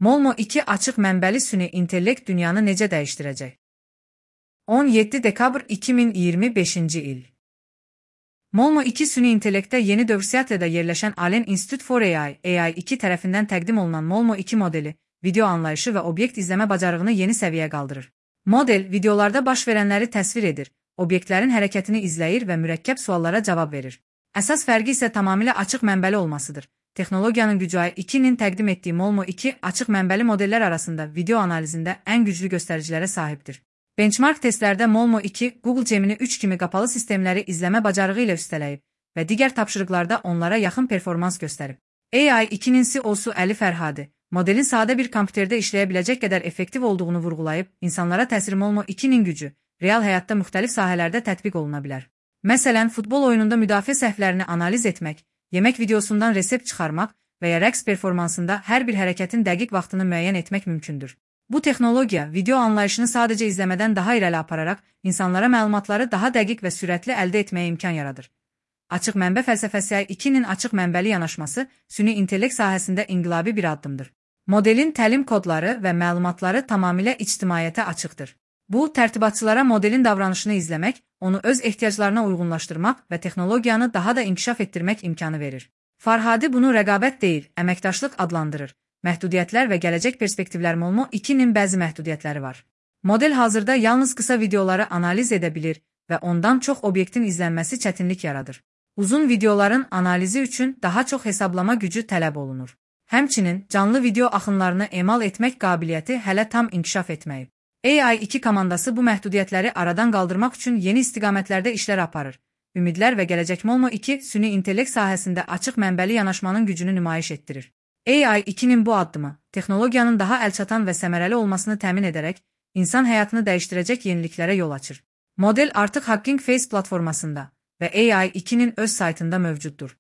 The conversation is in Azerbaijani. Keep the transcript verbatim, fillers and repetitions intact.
Molmo iki açıq mənbəli süni intellekt dünyanı necə dəyişdirəcək? on yeddi dekabr iki min iyirmi beşinci il. Molmo iki süni intellektdə yeni dövr Seattle'da yerləşən Allen Institute for A I, A I iki tərəfindən təqdim olunan Molmo iki modeli, video anlayışı və obyekt izləmə bacarığını yeni səviyyəyə qaldırır. Model, videolarda baş verənləri təsvir edir, obyektlərin hərəkətini izləyir və mürəkkəb suallara cavab verir. Əsas fərqi isə tamamilə açıq mənbəli olmasıdır. Texnologiyanın gücü A I ikinin təqdim etdiyi Molmo iki açıq mənbəli modellər arasında video analizində ən güclü göstəricilərə sahibdir. Benchmark testlərdə Molmo iki, Google Gemini üç kimi qapalı sistemləri izləmə bacarığı ilə üstələyib və digər tapşırıqlarda onlara yaxın performans göstərib. A I ikinin C E O-su Əli Fərhadi, modelin sadə bir kompüterdə işləyə biləcək qədər effektiv olduğunu vurğulayıb, insanlara təsiri Molmo ikinin gücü, real həyatda müxtəlif sahələrdə tətbiq oluna bilər. Məsələn, futbol oyununda müdafiə səhvlərini analiz etmək, yemək videosundan resept çıxarmaq və ya rəqs performansında hər bir hərəkətin dəqiq vaxtını müəyyən etmək mümkündür. Bu texnologiya video anlayışını sadəcə izləmədən daha irəli apararaq, insanlara məlumatları daha dəqiq və sürətli əldə etməyə imkan yaradır. Açıq mənbə fəlsəfəsi A I ikinin açıq mənbəli yanaşması süni intellekt sahəsində inqilabi bir addımdır. Modelin təlim kodları və məlumatları tamamilə ictimaiyyətə açıqdır. Bu, tərtibatçılara modelin davranışını izləmək, onu öz ehtiyaclarına uyğunlaşdırmaq və texnologiyanı daha da inkişaf etdirmək imkanı verir. Farhadi bunu rəqabət deyil, əməkdaşlıq adlandırır. Məhdudiyyətlər və gələcək perspektivlər Molmo ikinin bəzi məhdudiyyətləri var. Model hazırda yalnız qısa videoları analiz edə bilir və ondan çox obyektin izlənməsi çətinlik yaradır. Uzun videoların analizi üçün daha çox hesablama gücü tələb olunur. Həmçinin, canlı video axınlarını emal etmək qabiliyyəti hələ tam inkişaf etməyib. A I iki komandası bu məhdudiyyətləri aradan qaldırmaq üçün yeni istiqamətlərdə işlər aparır. Ümidlər və gələcək Molmo iki süni intellekt sahəsində açıq mənbəli yanaşmanın gücünü nümayiş etdirir. A I ikinin bu addımı, texnologiyanın daha əlçatan və səmərəli olmasını təmin edərək, insan həyatını dəyişdirəcək yeniliklərə yol açır. Model artıq Hugging Face platformasında və A I ikinin öz saytında mövcuddur.